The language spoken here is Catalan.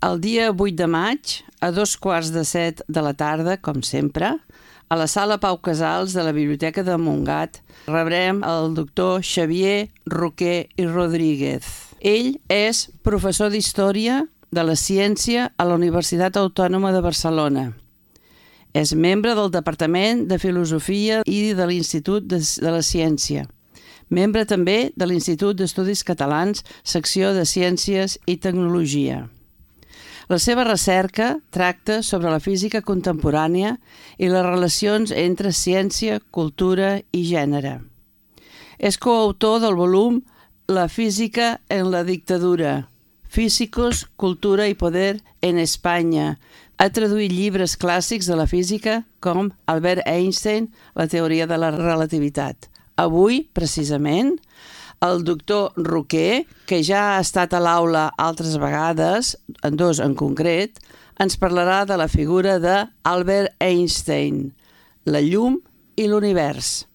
El dia 8 de maig, a 2:15 de la tarda, com sempre, a la sala Pau Casals de la Biblioteca de Montgat, rebrem el doctor Xavier Roquer i Rodríguez. Ell és professor d'Història de la Ciència a la Universitat Autònoma de Barcelona. És membre del Departament de Filosofia i de l'Institut de la Ciència. Membre també de l'Institut d'Estudis Catalans, secció de Ciències i Tecnologia. La seva recerca tracta sobre la física contemporània i les relacions entre ciència, cultura i gènere. És coautor del volum La física en la dictadura, Físicos, cultura i poder en Espanya. Ha traduït llibres clàssics de la física com Albert Einstein, la teoria de la relativitat. Avui, precisament, el doctor Roquer, que ja ha estat a l'aula altres vegades, en dos en concret, ens parlarà de la figura d'Albert Einstein, la llum i l'univers.